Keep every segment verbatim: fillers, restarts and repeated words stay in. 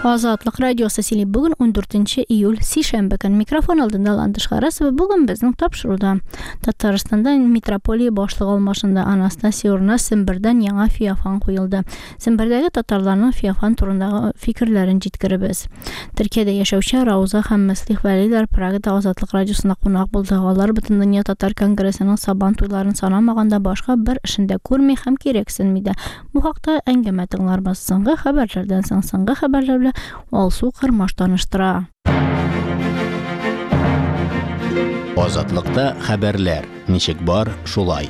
Азатлык радиосы сөйли. Бүген ундүртенче июль, сишәмбе көн. Микрофон алдында Ландыш Харасова. Бүген безнең тапшыруда Татарстанда митрополия башлыгы алмашында, Анастасий урынына Сембердән яңа Феофан куелды. Сембердәге татарларның Феофан турындагы фикерләрен җиткеребез. Төркиядә яшәүче Рауза һәм Мөслих Вәлиләр Прагада Азатлык радиосында кунак булды. Алар Бөтендөнья татар конгрессының Сабан туйларын санамаганда башка бер эшен дә күрми һәм кирәксенми дә. Бу хакта әңгәмә тыңларбыз. Соңгы хәбәрләрдән соң соңгы хәбәрләр белән Алсу Кырмаш таныштыра. Азатлыкта хәбәрләр ничек бар, шулай.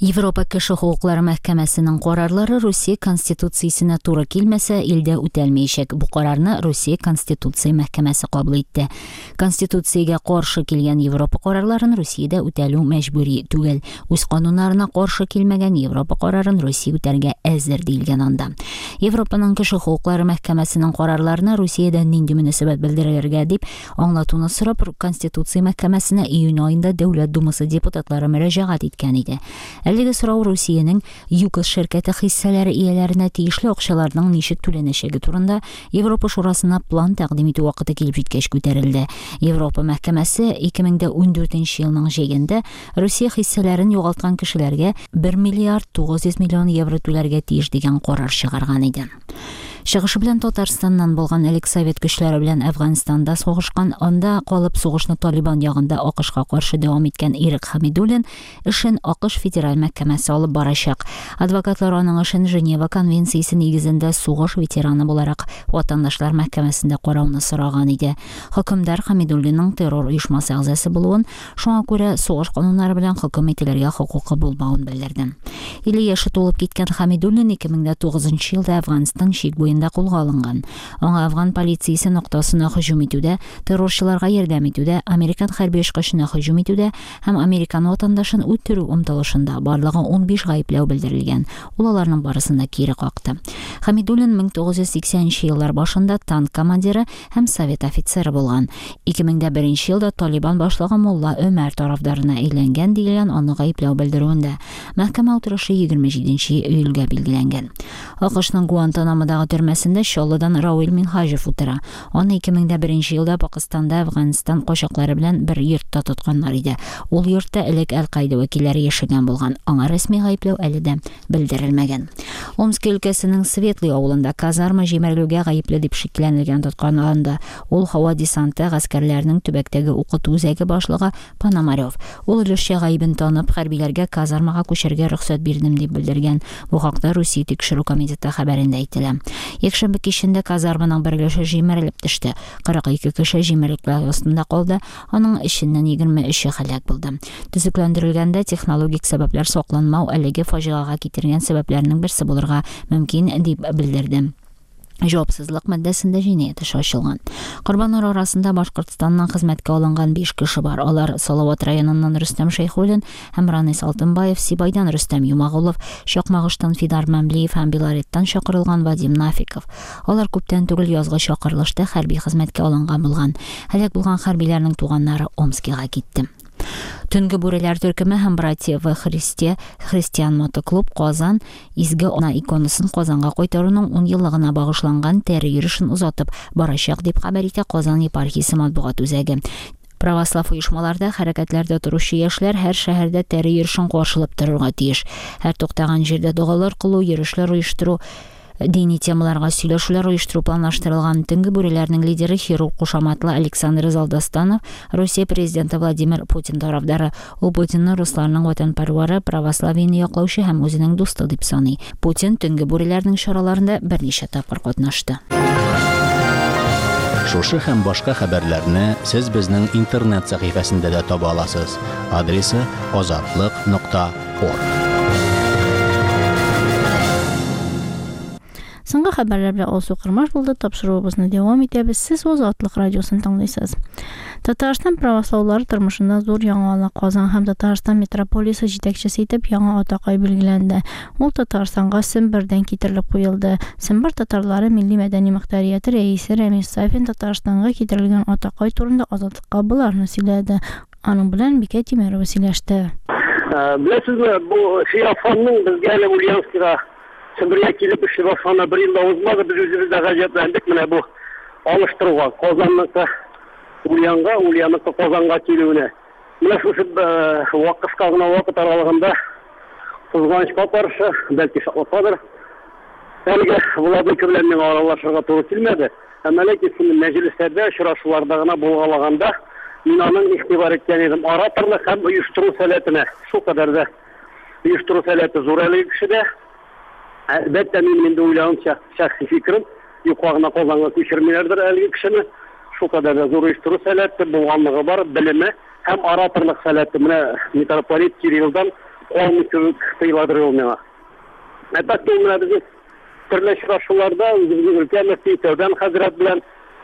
Европа кеше хокуклары мәхкәмәсенең карарлары Русия Конституциясенә туры килмәсә, илдә үтәлмәячәк. Бу карарны Русия Конституция мәхкәмәсе кабул итте. Конституциягә каршы килгән Европа карарларын Русиядә үтәлү мәҗбүри түгел. Үз кануннарына каршы килмәгән Европа карарын Русия үтәргә әзер диелгән анда. Европаның кеше хокуклары мәхкәмәсенең карарларына Русиядә нинди мөнәсәбәт белдерергә дип аңлатуны сорап Конституция мәхкәмәсенә июнь аенда Дәүләт Думасы депутатлары мөрәҗәгать иткән иде. Әлеге сорау Русиянең ЮКОС ширкәте хиссәләре ияләренә тиешле акчаларның ничек түләнәчәге турында Европа Шурасына план тәкъдим итү вакыты килеп җиткәч күтәрелде. Европа мәхкәмәсе ике мең дә ундүртенче елның җәендә Русия хиссәләрен югалткан кешеләргә бер миллиард тугыз йөз миллион евро түләргә тиеш дигән карар чыгарган иде. Чыгышы белән Татарстаннан булган элек совет көчләре белән Әфганстанда сугышкан, анда калып сугышны Талибан ягында АКШка каршы дәвам иткән Ирек Хәмидуллин эшен АКШ федераль мәхкәмәсе алып барачак. Адвокатлар аның эшен Женева конвенциясе нигезендә сугыш ветераны буларак ватандашлар мәхкәмәсендә карауны сораган иде. Хөкемдар Хәмидуллинның террор оешмасы әгъзасы булуын, шуңа күрә сугыш кануннары белән хөкем ителергә хокукы булмавын белдерде. Илле яше тулып киткән Хәмидуллин ике мең дә тугызынчы елда Әфганстан чик буенда кулга алынган. Аңа Афган полициясе ноктасына һөҗүм итүдә, террорчыларга ярдәм итүдә, американ хәрби очкычына һөҗүм итүдә һәм американ ватандашын үтерү омтылышында барлыгы унбиш гаепләү белдерелгән. Ул аларның барысын да кире какты. Хәмидуллин мең тугыз йөз сиксәненче еллар башында танк командиры һәм совет офицеры булган. Ике мең дә беренче елда Талибан башлыгы Мулла Өмәр тарафдарына әйләнгән диелгән аны гаепләү белдерүендә. Мәхкәмә утырышы егерме җиденче июльгә билгеләнгән. АКШның Гуантанамодагы төрмәсендә Чаллыдан Рауил Минһаҗев утыра. Аны ике мең дә беренче елда Пакистанда Әфганстан качаклары белән бер йортта тотканнар иде. Ул йортта элек Әл-Каида вәкилләре яшәгән булган. Аңа рәсми гаепләү әле дә белдерелмәгән. Омск өлкәсенең Светлый авылында казарма җимерелүгә гаепле дип шикләнелгән тотканланды. Ул һава десанты гаскәрләренең төбәктәге укыту үзәге башлыгы Пономарев. Ул өлешчә гаебен танып, хәрбиләргә казармага күчәргә рөхсәт бирдем дип белдергән. Бу хакта Русия тикшерү комитеты хәбәрендә әйтелә. Якшәмбе кичендә казарманың бер өлеше җимерелеп төште. Кырык ике кеше җимерлекләр астында калды, аның эченнән егерме өче һәлак булды. Төзекләндерелгәндә технологик сәбәпләр сакланмау әлеге фаҗигагә китергән сәбәпләрнең берсе булырга мөмкин дип белдерде. Җавапсызлык маддәсендә җинаять эше ачылган. Корбаннар арасында Башкортстаннан хезмәткә алынган биш кеше бар. Алар Салават районыннан Рөстәм Шәйхуллин һәм Ранис Алтынбаев, Сибайдан Рөстәм Юмагулов, Чакмагыштан Фидар Мәмлиев һәм Белореттан чакырылган Вадим Нафиков. Алар күптән түгел язгы чакырылышта хәрби хезмәткә алынган булган. Һәлак булган хәрбиләрнең туганнары Омскига китте. Төнге бүреләр төркеме һәм Братья во Христе христиан мотоклуб Казан изге ана иконасын Казанга кайтаруның ун еллыгына багышланган тәре йөрешен озатып барачак дип хәбәр итә Казан епархиясе матбугат үзәге. Православ оешмаларда хәрәкәтләрдә торучы яшьләр һәр шәһәрдә тәре йөрешен каршылап торырга тиеш. Һәр туктаган җирдә догалар кылу, йөрешләр оештыру, дини темаларга сөйләшүләр оештыру планлаштырылган. Төнге бүреләрнең лидеры хирург кушаматлы Александр Залдастанов, Русия президенты Владимир Путин тарафдары. Ул Путинны русларның ватанпәрвәре, православиене яклаучы һәм үзенең дусты дип саный. Путин төнге бүреләрнең чараларында берничә тапкыр катнашты. Шушы һәм башка хәбәрләрне сез безнең интернет сәхифәсендә дә таба аласыз. Адресы азатлык нокта орг. Соңгы хәбәрләр белән Алсу Кырмаш булды. Тапшыруыбызны дәвам итәбез. Сез Азатлык радиосын тыңлыйсыз. Татарстан православлары тормышында зур яңалык. Казан һәм Татарстан митрополиясе җитәкчесе итеп яңа атакай билгеләнде. Ул Татарстанга Сембердән китерелеп куелды. Сембер татарлары милли мәдәни мөхтәрияте рәисе Рәмис Сафин Татарстанга китерелгән атакай турында Азатлыкка боларны сөйләде. Аның белән Бикә Тимерова сөйләште. Беләсезме, бу Феофанның безгә әле Ульяновскига Сембергә килеп эшли башлаганына бер ел да узмады, без үзебез дә гаҗәпләндек менә бу алыштыруга, Казанныкы Ульянга, Ульянныкы Казанга килүенә. Менә шушы кыска гына вакыт аралыгында кызганычка каршы, бәлки шатлыккадыр, әлегә Владыка белән миңа аралашырга туры килмәде. Әмма ләкин шундый мәҗлесләрдә, очрашуларда гына булгалаганда мин аның игътибар иткән идем ораторлык һәм оештыру сәләтенә. Шул кадәр дә оештыру сәләте зур әлеге кешедә. Әлбәттә, минем инде уйлавымча, шәхси фикерем, юкка гына Казанга күчермиләрдер әлеге кешене. Шул кадәр дә зур оештыру сәләте булганлыгы бар, белеме һәм ораторлык сәләте. Менә митрополит Кириллдан калмый кебек тоеладыр ул миңа. Әлбәттә, ул менә безнең төрле очрашуларда үзебезнең өлкә мөфти Тәүбән хәзрәт белән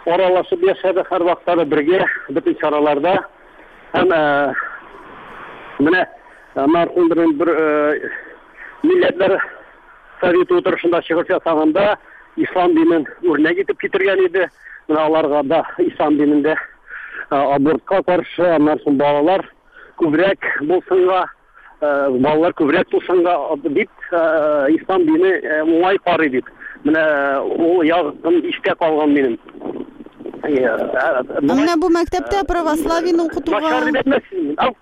аралашып яшәде, һәрвакытта да бергә бөтен чараларда. Һәм менә мәрхүм бер милләтләр советы утырышында чыгыш ясаганда ислам динен үрнәк итеп китергән иде. Менә аларга да ислам динендә абортка каршы, аннан соң балалар күбрәк булсынга, балалар күбрәк тусынга дип ислам дине уңай карый дип. Менә ул ягым истә калган минем. Менә бу мәктәптә православиене укытуга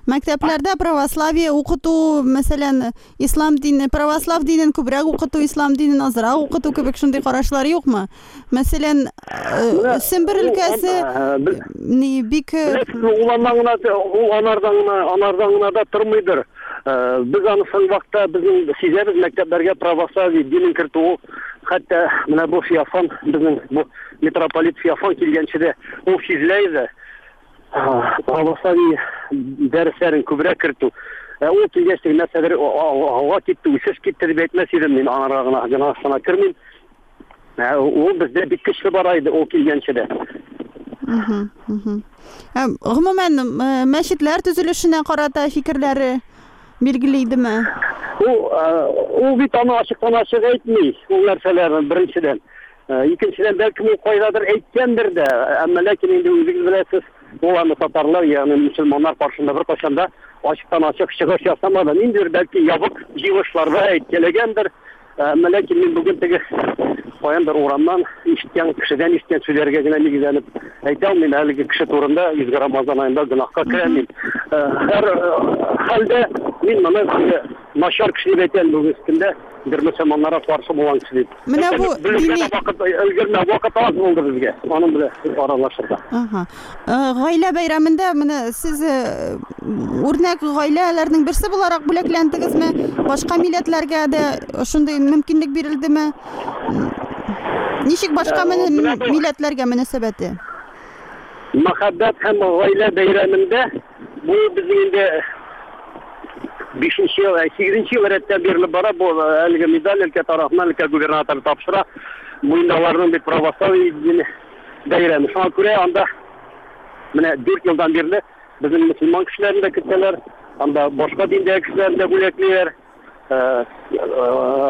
Мәктәпләрдә православие укыту, мәсәлән, ислам дине, православ динен күбрәк укыту, ислам динен азрак укыту кебек шундый карашлар юкмы? Мәсәлән, Сембер өлкәсе ни бик ул аннан гына, ул анардан гына, анардан гына да тормыйдыр. Без аны соң вакытта безнең сизәбез мәктәпләргә православие динен кертү, хәтта менә бу Феофан, безнең бу митрополит Феофан килгәнче дә ул сизелә иде. Православие дәресләрен күбрәк кертү. Ул килгәч нәрсәдер алга китте, үсеш китте дип әйтмәс идем мин, анарга гына гынасына кермим. Ул бездә бик көчле бара иде ул килгәнче дә. Гомумән, мәчетләр төзелешенә карата фикерләре билгеле идеме? Ул ул бит аны ачыктан-ачык әйтми, ул нәрсәләрне беренчедән. Икенчедән, бәлкем ул кайдадыр әйткәндер дә, әмма ләкин инде үзегез беләсез, ул аны татарлар, ягъни мөселманнар каршында бер кайчан да ачыктан-ачык чыгыш ясамады. Ниндидер бәлки ябык җыелышларда әйткәләгәндер, әмма ләкин мин бүген теге каяндыр урамнан ишеткән кешедән ишеткән сүзләргә генә нигезләнеп әйтә алмыйм. Әлеге кеше турында Изге Рамазан аенда гөнаһка керәм мин. Һәр хәлдә мин моны начар кеше дип әйтәм бүгенге көндә, бер мөселманнарга каршы булган кеше дип. Менә бу дини вакыт өлгермә, вакыт аз булды безгә аның белән аралашырга. Аһа. Гаилә бәйрәмендә менә сез үрнәк гаиләләрнең берсе буларак бүләкләндегезме? Башка милләтләргә дә шундый мөмкинлек бирелдеме? Ничек башка милләтләргә мөнәсәбәте? Мәхәббәт һәм гаилә бәйрәмендә бу безнең инде бишенче ел, сигезенче ел рәттән бирелеп бара. Бу әлеге медаль өлкә тарафыннан өлкә губернаторы тапшыра. Бу инде аларның бит православие дине бәйрәме. Шуңа күрә анда менә дүрт елдан бирле безнең мөселман кешеләрен дә көтәләр, анда башка диндәге кешеләрне дә бүләклиләр.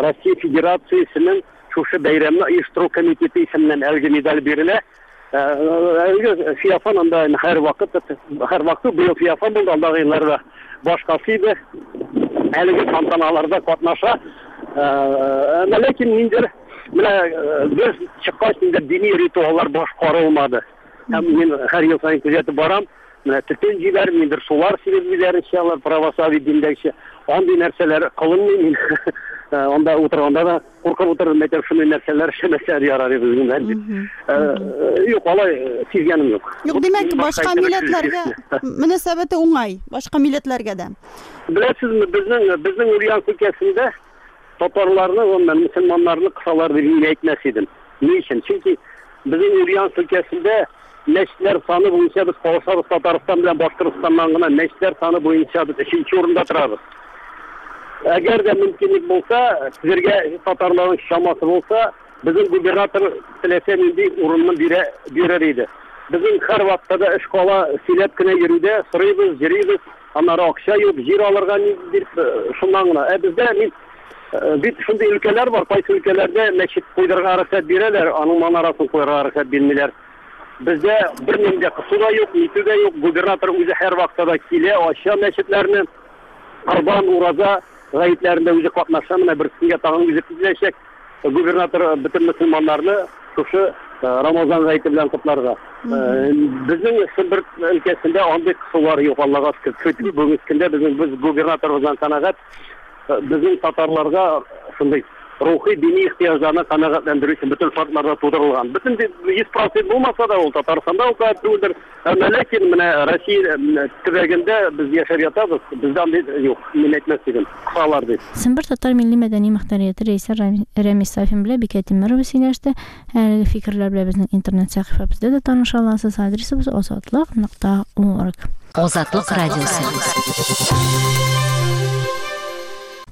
Россия Федерациясенең шушы бәйрәмне оештыру комитеты исеменнән әлеге медаль бирелә. Әлеге Феофан анда һәр вакыт, һәр вакыт быел Феофан булды, алдагы елларда башкасы иде. Әлеге тантаналарда катнаша. Әмма ләкин ниндидер менә без чыккач инде дини ритуаллар башкарылмады. Һәм мин һәр ел саен күзәтеп барам. Менә төтен җибәреп, ниндидер сулар сибеп җибәрүчеләр, православие диндәгечә андый нәрсәләр кылынмый. Мин анда утырганда да куркып утырдым, әйтәм, шундый нәрсәләр эшләмәсәләр ярар иде безнең дип. Юк, алай сизгәнем юк. Юк, димәк, башка милләтләргә мөнәсәбәте уңай, башка милләтләргә дә. Беләсезме, безнең безнең Ульяновск өлкәсендә татарларны, гомумән мөселманнарны кысалар дип мин әйтмәс идем. Ни өчен? Чөнки безнең Ульяновск өлкәсендә мәчетләр саны буенча без калышабыз Татарстан белән Башкортстаннан гына мәчетләр саны буенча без өченче урында торабыз. Әгәр дә мөмкинлек булса, сезгә татарларның чамасы булса, безнең губернатор теләсә нинди урынны бирә бирер иде. Безнең һәр вакытта да эш кала сөйләп кенә йөрүдә, сорыйбыз, йөрибез, аннары акча юк, җир алырга ниндидер шуннан гына. Ә бездә мин бит шундый өлкәләр бар, кайсы өлкәләрдә мәчет куйдырырга рөхсәт бирәләр, аның манарасын куярга рөхсәт бирмиләр. Бездә бернинди дә кысу да юк, нитү дә юк. Губернатор үзе һәр вакытта да килә, ача мәчетләрне. Корбан, ураза Гаетләрендә үзе катнаша, менә бер көнгә тагын үзе киләчәк. Губернатор бөтен мөселманнарны шушы Рамазан гаете белән котларга. Безнең Сембер өлкәсендә андый кысулар юк, Аллага шөкер. Көтү бүгенге көндә безнең без губернаторыбыздан канәгать. Безнең татарларга шундый рухи дини ихтыяҗларны канәгатьләндерү өчен бөтен шартлар да тудырылган. Бөтен йөз процент булмаса да ул Татарстанда ул кадәр түгелдер. Әмма ләкин менә Россия төбәгендә без яшәп ятабыз, бездә андый юк, мин әйтмәс идем. Кысалар дип. Сембер татар милли мәдәни мөхтәрияте рәисе Рәмис Сафин белән Бикә Тимерова сөйләште. Әлеге фикерләр белән безнең интернет сәхифәбездә дә таныша аласыз. Адресыбыз азатлык нокта орг. Азатлык радиосы.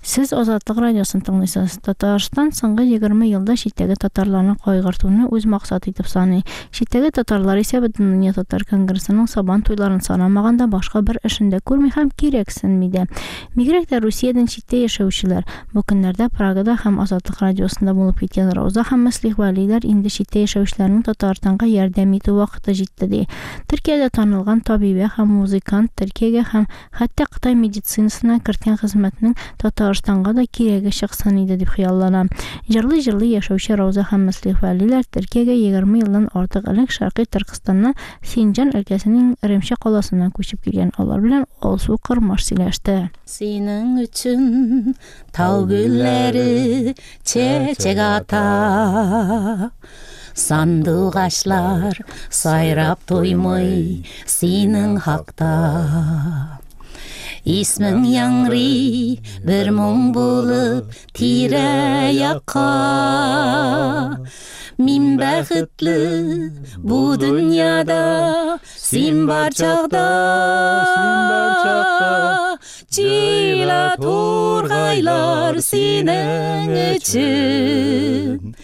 Сез Азатлык радиосын тыңлыйсыз. Татарстан соңгы егерме елда читтәге татарларны кайгыртуны үз максаты итеп саный. Читтәге татарлар исә Бөтендөнья татар конгрессының сабан туйларын санамаганда башка бер эшен дә күрми һәм кирәксенми дә. Бигрәк тә Русиядән читтә яшәүчеләр. Бу көннәрдә Прагада һәм Азатлык радиосында булып киткән Рауза һәм Мөслих Вәлиләр инде читтә яшәүчеләрнең Татарстанга ярдәм итү вакыты җитте ди. Төркиядә танылган табибә һәм музыкант Төркиягә һәм хәтта Кытай медицинасына керткән хезмәтнең Татар Татарстанга да кирәге чыксын иде дип хыяллана. Җырлый-җырлый яшәүче Рауза һәм Мөслих Вәлиләр Төркиягә егерме елдан артык элек Шәркый Төркестаннан Синҗан өлкәсенең Ремче каласыннан күчеп килгән. Алар белән Алсу Кырмаш сөйләште. Синең өчен тау гөлләре чәчәк ата, сандугачлар сайрап туймый синең хакта. Исмең яңгырый бер моң булып тирә-якка. Мин бәхетле бу дөньяда, син бар чакта. Җыйла тургайлар синең өчен,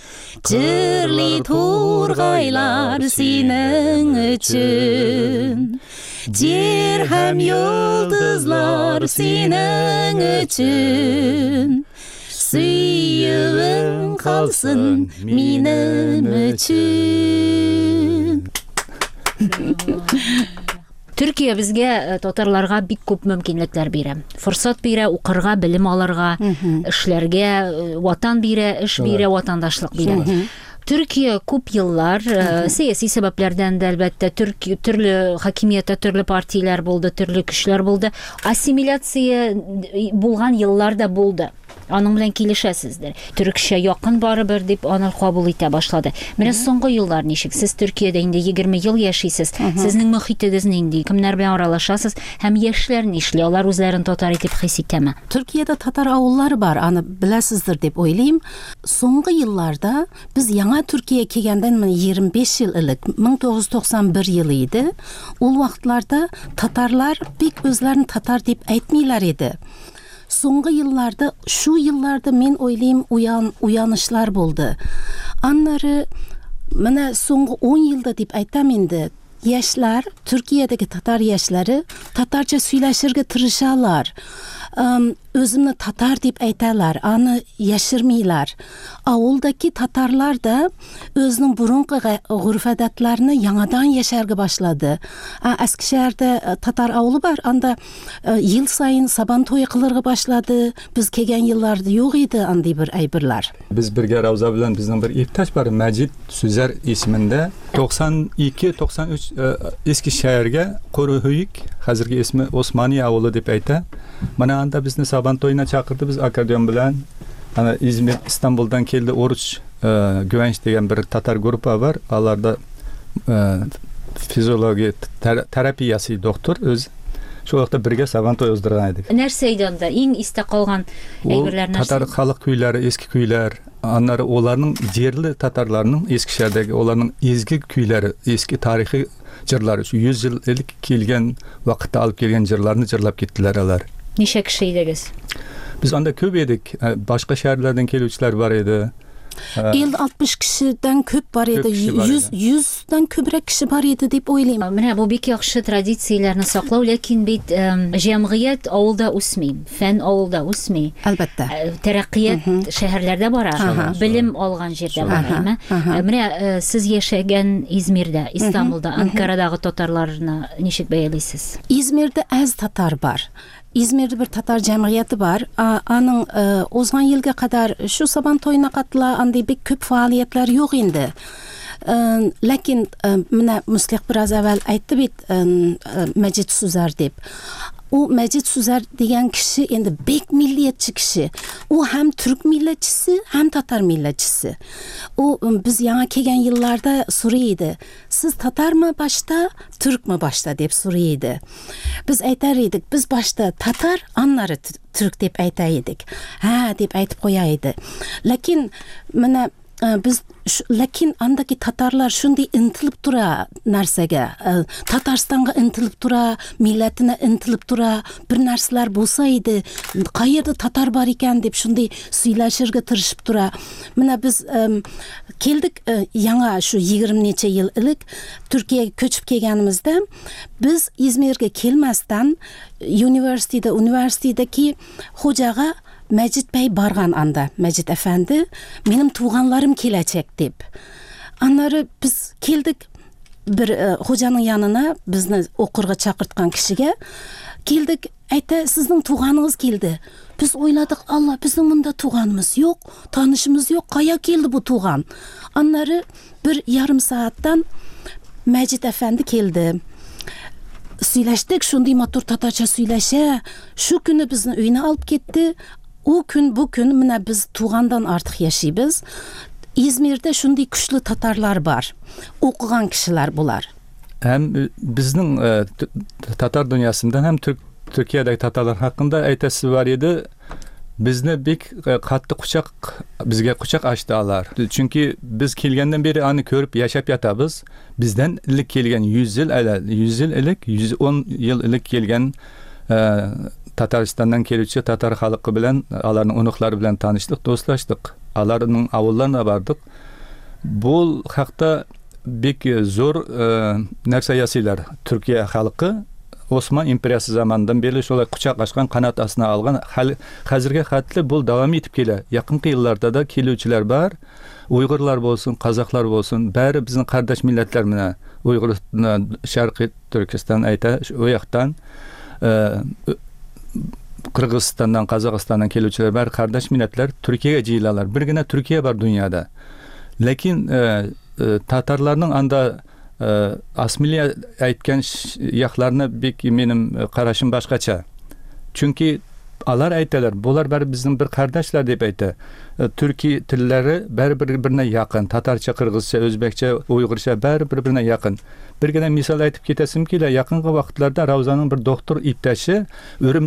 җырлый тургайлар синең өчен. Җир һәм йолдызлар синең өчен, сөюең калсын минем өчен. Төркия безгә, татарларга бик күп мөмкинлекләр бирә. Форсат бирә, укырга, белем алырга, эшләргә, ватан бирә, эш бирә, ватандашлык бирә. Төркия күп еллар сәяси сәбәпләрдән дә әлбәттә Төрки, төрле хакимияттә төрле партияләр булды, төрле көчләр булды. Ассимиляция булган еллар да булды. Аның белән килешәсездер. Төркчә якын барыбер дип аны кабул итә башлады. Менә соңгы еллар ничек? Сез Төркиядә инде егерме ел яшисез. Сезнең мөхитегез нинди? Кемнәр белән аралашасыз? Һәм яшьләр нишли? Алар үзләрен татар итеп хис итәме? Төркиядә татар авыллары бар, аны беләсездер дип уйлыйм. Соңгы елларда без яңа Төркия килгәндән менә егерме биш ел элек, мең тугыз йөз туксан бер елы иде. Ул вакытларда татарлар бик үзләрен татар дип әйтмиләр иде. Соңгы елларда, шу елларда мин уйлыйм, уян, уянышлар булды. Аннары менә соңгы ун елда дип әйтәм инде, яшьләр, Төркиядәге татар яшьләре татарча сөйләшергә тырышалар. Үземне татар дип әйтәләр, аны яшермиләр. Авылдагы татарлар да үзенең борынгы гореф-гадәтләрен яңадан яшәргә башлады. Әскешәһәрдә татар авылы бар, анда ел саен сабан туе кылырга башлады. Без килгән елларда юк иде андый бер әйберләр. Без бергә Рауза белән безнең бер иптәш бар, Мәҗит Сүзәр исемендә. туксан ике, туксан өч Эскишәһәргә Курыһөйк, хәзерге исме Османия авылы дип әйтә. Менә анда безне сабан туена чакырды, без аккордеон белән. Ана İzmir, İstanbul'dan келdi Oruç e, Güvenç дигән бер татар группа бар. Аларда e, fiziologiya ter, terapiyasi doktor öz Шул вакытта бергә сабан туй уздырган идек. Нәрсә иде анда? Иң истә калган әйберләр нәрсә? Татар халык көйләре, эске көйләр, аннары оларның җирле татарларның Эскишәһәрдәге оларның изге көйләре, эске тарихи җырлары, шу йөз ел элек килгән вакытта алып килгән җырларны җырлап киттеләр алар. Ничә кеше идегез? Без анда күп идек. Башка шәһәрләрдән килүчеләр бар иде. Ил алтмыш кешедән күп бар иде, йөз, йөздән күбрәк кеше бар иде дип уйлыйм. Менә бу бик яхшы традицияләрне саклау, ләкин бит җәмгыять авылда үсми, фән авылда үсми. Әлбәттә. Тәрәккыят шәһәрләрдә бара, белем алган җирдә бара, әйме? Менә сез яшәгән Измирдә, Истанбулда, Анкарадагы татарларны ничек бәялисез? Измирдә әз татар бар. İzmirde bir Tatar cemiyeti бар. Аның узган елга кадәр шу Сабан туена катыла, андый бик күп фаалиятләр юк инде. Ләкин менә Муслих бераз әвәл әйтте бит, Мәҗит Сүзәр дип. У Мәҗит Сүзәр дигән кеше инде бик миллиятче кеше. У һәм түрк милләтчесе, һәм татар милләтчесе. У без яңа килгән елларда сорый иде. Сез татармы башта, түркме башта дип сорый иде. Без әйтәр идек, без башта татар, аннары түрк дип әйтә идек. Һә, дип әйтеп куя иде. Ләкин менә biz ләкин андагы татарлар шундый интилib тора нәрсәгә, Татарстанга интилib тора, милләтенә интилib тора, бер нәрсәләр булса иде, кайердә татар бар икән дип шундый сөйләшергә тырышып тора. Менә без келдик яңа шу егерме ничә ел элек Төркиягә көчеп килгәнебездә, без Измиргә килмәстән университетта, университеттәге хуҗага Мәҗит бәй барган анда, Мәҗит әфәнде, минем туганларым киләчәк дип. Аннары без килдек бер хуҗаның янына, безне укырга чакырткан кешегә килдек, әйтә, сезнең туганыгыз килде. Без уйладык, Алла, безнең монда туганыбыз юк, танышыбыз юк, кая килде бу туган? Аннары бер ярым сәгатьтән Мәҗит әфәнде килде. Сөйләштек, шундый матур татарча сөйләшә. Шу көне безне өенә алып китте. У көн, бу көн менә без тугандан артык яшибез. İzmirde шундый көчле татарлар бар. Укыган кешеләр булар. Һәм безнең татар дөньясында һәм Төркиядәге татарлар хакында әйтәсе бар иде. Безне бик катты кочак, безгә кочак ачты алар. Чөнки без килгәннән бире аны күреп яшәп ятабыз. Бездән элек килгән йөз ел әле, йөз ел элек, йөз ун ел элек килгән Татарстаннан келүче татар халкы белән, аларның оныклары белән таныштык, дуслаштык. Аларның авылларына бардык. Бу хакта бик зур нәрсә ясыйлар. Төркия халкы Осман империясы заманыннан бирле шулай кочак ачкан, канат астына алган. Хәзергә хәтле бу дәвам итеп килә. Якынкы елларда да килүчеләр бар. Уйгырлар булсын, казахлар булсын, бәре безнең кардәш милләтләр менә. Уйгыр Шәркый Төркестан әйтә, у яктан Кыргызстаннан, Казахстаннан келүчеләр бар, кардәш милләтләр Төркиягә җыелалар. Бер генә Төркия бар дөньяда. Ләкин татарларның анда асмилия әйткән якларны бик минем карашым башкача. Чөнки алар әйтәләр, булар бәре безнең бер кардәшләр дип әйтә. Төрки телләре бәре бер-беренә якын. Татарча, кыргызча, үзбәкчә, уйгырча бәре бер-беренә якын. Бер генә мисал әйтеп китәсем килә. Якынгы вакытларда Раузаның бер доктор иптәше Өрем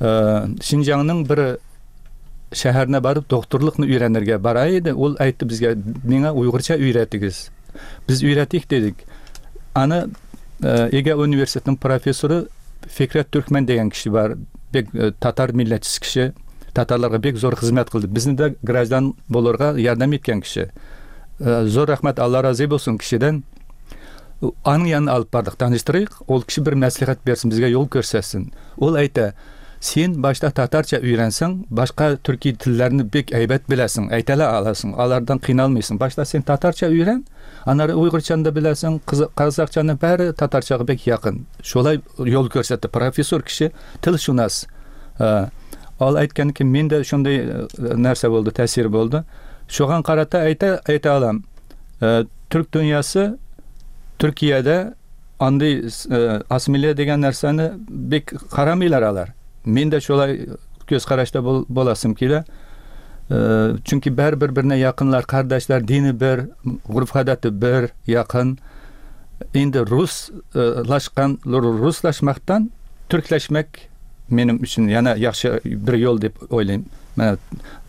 Шинҗаңның бер шәһәренә барып докторлыкны өйрәнергә бара иде. Ул әйтте безгә, миңа уйгырча өйрәтегез. Без өйрәтик дидек. Аны Эге университетының профессоры Фикрет Түркмен дигән кеше бар, бик татар милләтчесе кеше, татарларга бик зур хезмәт кылды. Безне дә граждан булырга ярдәм иткән кеше. Зур рәхмәт, Алла разый булсын кешедән. Аның янына алып бардык, таныштырыйк, ул кеше бер мәслихәт берсен, безгә юл күрсәтсен. Ул әйтә, син башта татарча өйрәнсәң, башка төрки телләрне бик әйбәт беләсең, әйтә аласың, алардан кыйналмыйсың. Башта син татарча өйрән, аннары уйгырчаны да беләсең, казакчаны бәре татарчага бик якын. Шулай юл күрсәтте профессор кеше, телшунас. Ал әйткән ки, мин дә шундый нәрсә булды, тәэсир булды. Шуңа карата әйтә, әйтә алам. Түрк дөньясы Төркиядә андый асимилия дигән нәрсәне бик карамыйлар алар. Мин дә шулай күз карашта буласым килә. Чөнки бер бер-беренә якынлар, кардәшләр, дине бер, горф-гадәте бер, якын. Инде руслашкан, руслашмактан түркләшмәк минем өчен яна яхшы бер юл дип уйлыйм. Менә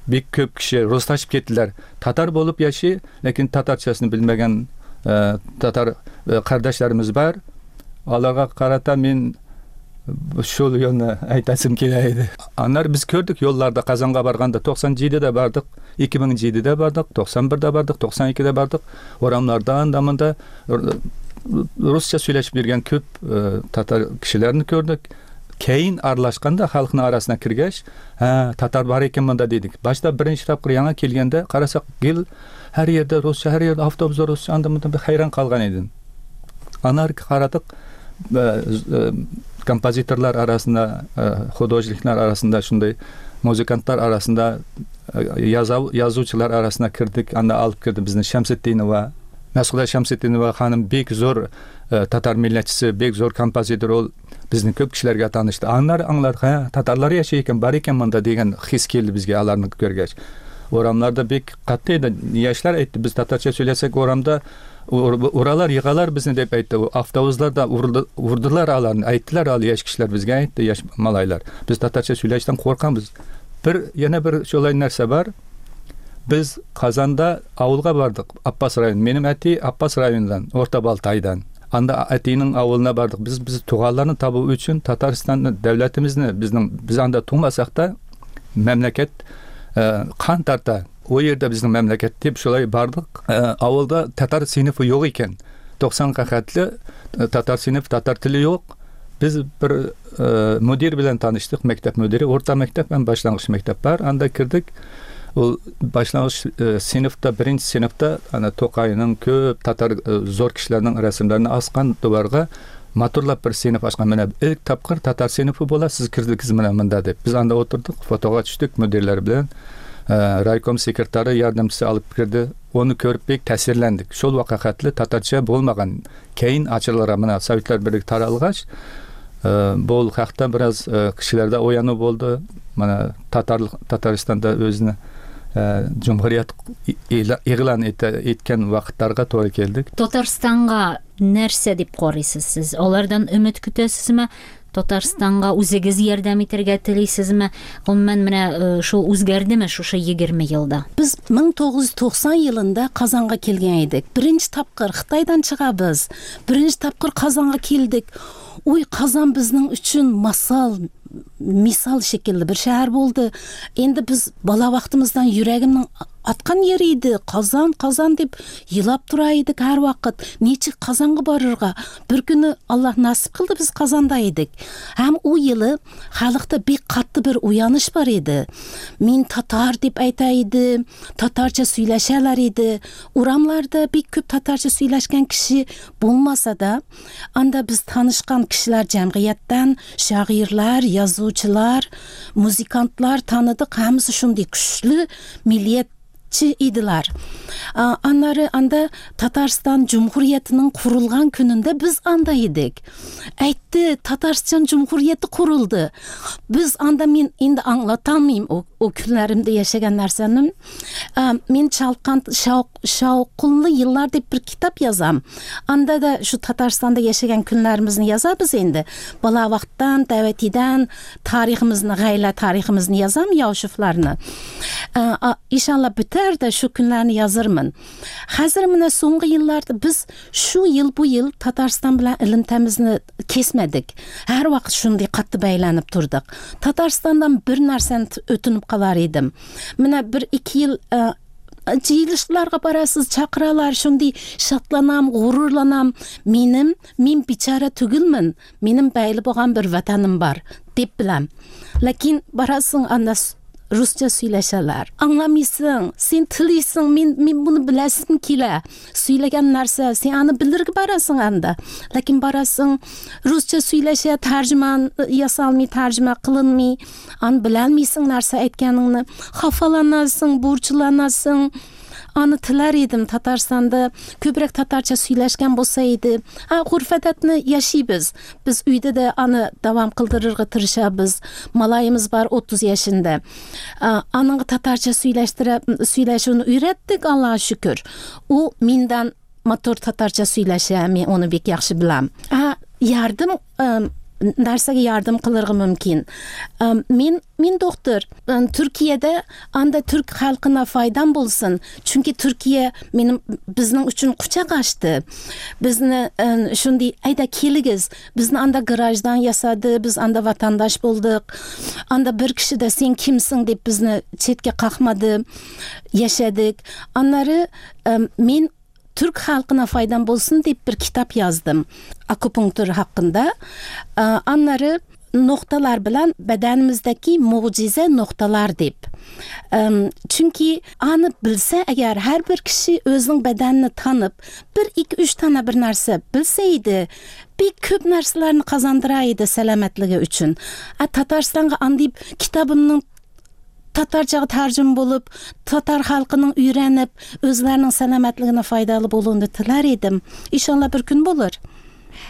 бик күп кеше руслашып киттеләр. Татар булып яши, ләкин татарчасын белмәгән татар кардәшләребез бар. Аларга карата мин шул юлны әйтәсем килә иде. Аннары без күрдек юлларда Казанга барганда туксан җидедә бардык, ике мең җидедә бардык, туксан бердә бардык, туксан икедә бардык. Урамнарда анда монда русча сөйләшеп йөргән күп татар кешеләрен күрдек. Кейин аралашканда халыкның арасына кергәч, һә, татар бар икән монда дидек. Башта беренче тапкыр яңа килгәндә карасак, гел һәр yerде русча, һәр yerде автобусда русча, анда монда бер хайран калган идем. Аннары карадык, Kompozitorlar arasında, художниклар arasında, shunday muzikantlar arasında, yazuvchilar arasına kirdik. Anda alıp kirdi bizni Shamsitdinova, Mas'uda Shamsitdinova hanım bek zo'r tatar millatchisi, bek zo'r kompozitor, ol bizni ko'p kishilarga tanishdi. Anlar angladik, ha, tatarlar yashar ekan, bor ekan munda degan his keldi bizga ularni ko'rgach. Oramlarda bek qatta edi. Yoshlar aytdi, biz tatarcha so'ylasak oramda uralar, yig'alar bizni deb aytdi. Avtobuslarda urdilar ularni, aytdilar, al yosh kishilar bizga aytdi, yosh malaylar. Biz tatarcha so'ylashdan qo'rqamiz. Bir yana bir shulay narsa bor. Biz Qozonda ovulga bordik, Abbas rayoni. Menim ati Abbas rayonidan, O'rta Boltaydan. Anda atining ovulina bordik. Biz biz tug'anlarni topish uchun Tataristonning davlatimizni, bizning biz anda tug'masak da mamlakat qon tarta, o yerda bizning mamlakat deb shulay bordik. Ovulda tatar sinfi yo'q ekan. to'qsonga xatli tatar sinfi, tatar tili yo'q. Biz bir mudir bilan tanishdik, maktab mudiri, o'rta maktab ham boshlang'ich maktab bor. Anda kirdik. U boshlang'ich sinfda, birinchi sinfda ana To'qayning ko'p tatar zo'r kishilarning rasmlarini osgan devorga maturlab bir sinf ochgan. Mana ilk topqir tatar sinfi bo'ladi, siz kirdingiz mana bunda deb. Biz anda o'tirdik, fotoga tushdik mudirlar bilan. Raykom sekretari yordamchisi olib kirdi. Uni ko'rib bek ta'sirlandik. Shul vaqtli tatarcha bo'lmagan. Keyin ochilgan mana Sovetlar Birligi taralg'ach, bu haqda biraz kishilarda o'yanuv bo'ldi. Mana Tatar Tataristonda o'zini Cumhuriyet e'lon etgan vaqtlarga to'g'ri keldik. Tataristonga narsa deb qaraysiz siz? Ulardan umid kutasizmi? Tataristonga o'zingiz yordam etarga tilaysizmi? Umuman mana shu o'zgardimi shu shu yigirma yilda? Biz ming to'qqiz yuz to'qson yilida Qozonga kelgan edik. Birinchi topqir Xitoydan chiqamiz. Birinchi topqir Qozonga keldik. Uy, Qozon bizning uchun masal, misol shekilli bir shahar bo'ldi. Endi biz bola vaqtimizdan yuragimning atgan yeri edi. Qozon, Qozon deb yilab turar edik har vaqt. Necha Qozonga borirga. Bir kuni Alloh nasib qildi, biz Qozonda edik. Ham u yili xalqda bek qattiq bir uyg'onish bor edi. Men tatar deb aytar edi, tatarcha so'ylashalar edi. Uramlarda bek ko'p tatarcha so'ylashgan kishi bo'lmasa-da, anda biz tanishgan kishilar jamiyatdan shoirlar, yozuvchilar, muzikantlar tanıdık. Hammasi shunday kuchli millatchi edilar. Anları anda Tatariston Cumhuriyetining qurilgan kunida biz anda edik. Aytdi, Tatariston Cumhuriyeti qurildi. Biz anda men endi anlatammayman o, o kunlarimda yashagan narsani. Men Chalqan shavqinli yillar deb bir kitob yozam. Anda da shu Tataristonda yashagan kunlarimizni yozamiz endi. Bola vaqtdan, davatidan tariximizni, g'ayla tariximizni yozam, Yoshiflarni. Inshaalloh bitar da shu kunlarni yozirman. Hozir mana so'nggi yillarda biz shu yil bu yil Tatariston bilan ilimtamizni kesmadik. Har vaqt shunday qattiq baylanib turdik. Tataristondan bir narsani o'tinib qolar edim. Mana bir ikki yil jiyilishlarga borasiz, chaqiralar, shunday shodlanam, g'ururlanam. Menim, men bechora tugilman. Menim bayli bo'lgan bir vatanim bor deb bilam. Lekin borasing anda ruscha so'ylashalar. Anglamaysan, sen tilaysan, men men buni bilasim kela. So'ylagan narsa, sen ani bildirib borasan anda. Lekin borasan ruscha so'ylasha, tarjiman yasalmay, tarjima qilinmay, an bilalmaysan narsa aytganingni. Xafalanasın, burçlanasın. Anı tilar edim Tataristonda ko'proq tatarcha so'ylashgan bo'lsa edi. Ha, urf-odatni yashaymiz. Biz uyda da anı davom qildirishga tirishamiz. Malayimiz bor o'ttiz yoshida. Aningga tatarcha so'ylashtirib, so'ylashini o'rgatdik, Allohga shukr. U mendan motor tatarcha so'ylasha, men uni bek yaxshi bilam. Ha, yardım narsaga yardım qilirg'i mumkin. Men men doktor. Turkiyada anda türk xalqına faydam bo'lsin. Chunki Turkiya menim bizning uchun quchoq ochdi. Bizni shunday ayda keligiz. Bizni anda garajdan yasadi, biz anda vatandosh bo'ldik. Anda bir kishi da sen kimsin deb bizni chetga qoqmadi. Yashadik. Anlari men Türk xalqına faydam bo'lsin deb bir kitob yozdim. Akupunktur haqqında. Anlari Noktalar bilan bedenimizdeki mucize noktalar deb. Çünkü anı bilse eğer her bir kişi özünün bedenini tanıp bir iki üç tane bir narsa bilseydi bir köp narsalarni kazandıraydı selametligi üçün. A Tatarstanга andayıp kitabımның Tatarcaga tercüm bolup, Tatar halkının öğrenip, özlerinin selametligine faydalı bolunu tilar edim. İnşallah bir gün bolur.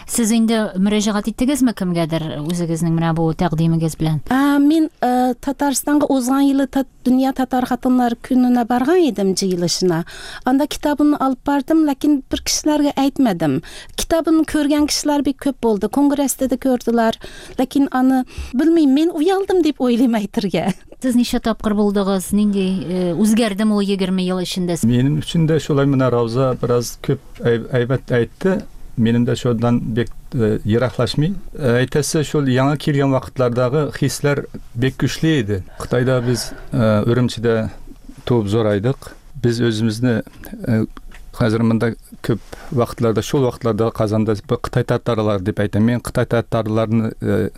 Siz инде мөрәҗәгать иттегезме кемгәдер үзегезнең менә бу тәкъдимегез белән? Ә, мин ә, Татарстанга узган елы Тат, Дөнья татар хатыннары көненә барган идем җыелышына. Анда китабымны алып бардым, ләкин бер кешеләргә әйтмәдем. Китабымны күргән кешеләр бик күп булды. Конгресста да күрделәр. Ләкин аны белмим, мин уялдым дип уйлыйм әйтергә. Сез ничә тапкыр булдыгыз? Нинди үзгәрдеме ул егерме ел эчендә? Минем өчен дә шулай менә Рауза бераз күп әйбәт әйтте. Benim de şuradan bek e, yıraklaşmay. Әйтәсе шул яңа килгән вакытлардагы хисләр бек көчле иде. Кытайда без e, Үрümçидә туып зорайдык. Без үзебезне e, хәзер монда күп вакытларда, шул вакытларда Казанда Кытай татарлары дип әйтәм. Мин Кытай татарларын e,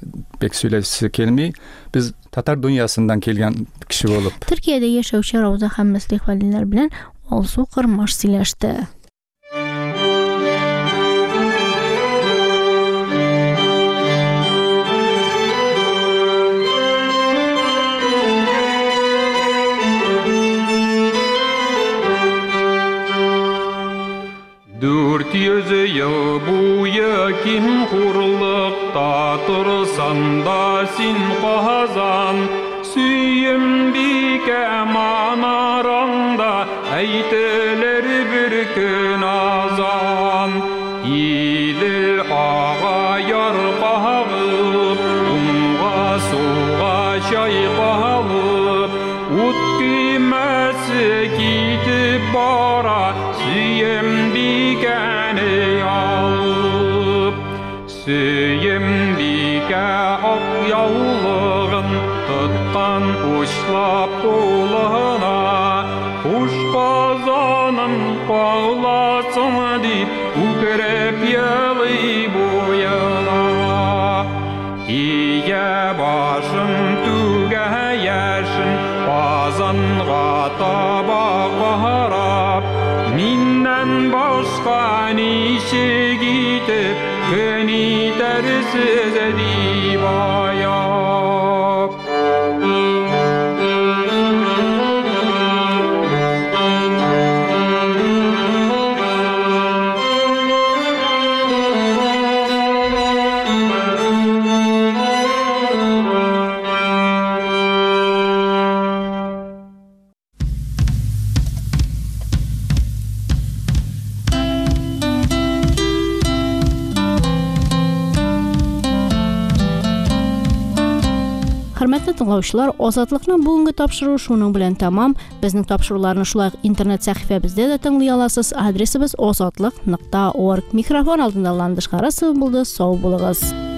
бек сөйләсе килми. Без татар дөньясыннан килгән кеше булып. Төркиядә яшәүче Рауза һәм Мөслих Вәлиләр белән Алсу Кырмаш сөйләште. Дүрт йөз ел буе ким хурлыкта торсан да син Казан, Сөембикә манараңда әйтелер бер көн азан. Идел ага яр кагып, уңга сулга чайкалып, ут көймәсе китеп бара, Сөембикәне алып. Сөембикә ак яулыгын тоткан учлап кулына, хуш Казаным каласың дип үкереп елый буена. Ия башын түгә яшен, Казанга таба карап, миннән башка ничек итеп көн итәрсез дип аяп. Хөрмәтле тыңлаучылар, Азатлыкның бүгенге тапшыруы шуның белән тәмам. Безнең тапшыруларны шулай ук интернет сәхифәбездә дә тыңлый аласыз. Адресыбыз азатлык нокта орг. Микрофон алдында Ландыш Харасова булды. Сау булыгыз.